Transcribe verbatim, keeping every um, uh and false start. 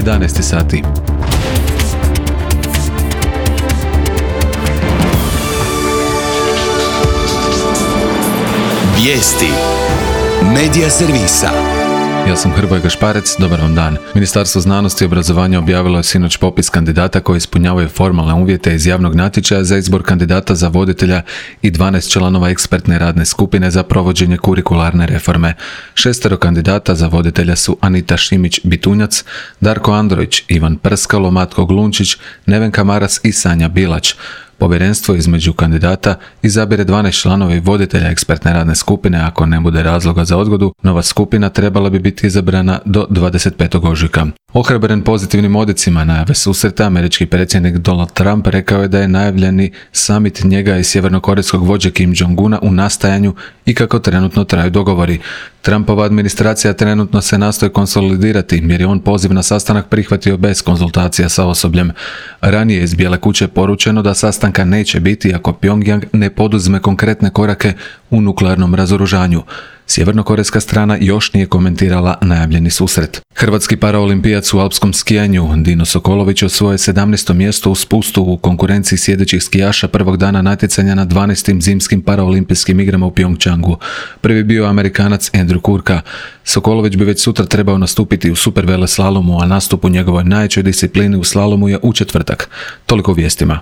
jedanaest sati. Vijesti Medija servisa. Ja sam Hrvoje Gašparec, dobar vam dan. Ministarstvo znanosti i obrazovanja objavilo je sinoć popis kandidata koji ispunjavaju formalne uvjete iz javnog natječaja za izbor kandidata za voditelja i dvanaest članova ekspertne radne skupine za provođenje kurikularne reforme. Šestero kandidata za voditelja su Anita Šimić-Bitunjac, Darko Androjić, Ivan Prskalo, Matko Glunčić, Nevenka Maras i Sanja Bilać. Povjerenstvo između kandidata izabire dvanaest članova i voditelja ekspertne radne skupine. Ako ne bude razloga za odgodu, nova skupina trebala bi biti izabrana do dvadeset petog ožujka. Ohrabren pozitivnim odjecima najave susreta, američki predsjednik Donald Trump rekao je da je najavljeni summit njega i sjevernokorejskog vođe Kim Jong-una u nastajanju i kako trenutno traju dogovori. Trumpova administracija trenutno se nastoji konsolidirati jer je on poziv na sastanak prihvatio bez konzultacija sa osobljem. Ranije iz Bijele kuće poručeno da sastanka neće biti ako Pyongyang ne poduzme konkretne korake u nuklearnom razoružanju. Sjevernokorejska strana još nije komentirala najavljeni susret. Hrvatski paraolimpijac u alpskom skijanju Dino Sokolović osvojio sedamnaesto mjesto u spustu u konkurenciji sjedećih skijaša prvog dana natjecanja na dvanaestim zimskim paraolimpijskim igrama u Pyeongchangu. Prvi bio Amerikanac Andrew Kurka. Sokolović bi već sutra trebao nastupiti u superveleslalomu, a nastup u njegovoj najjačoj disciplini u slalomu je u četvrtak. Toliko u vijestima.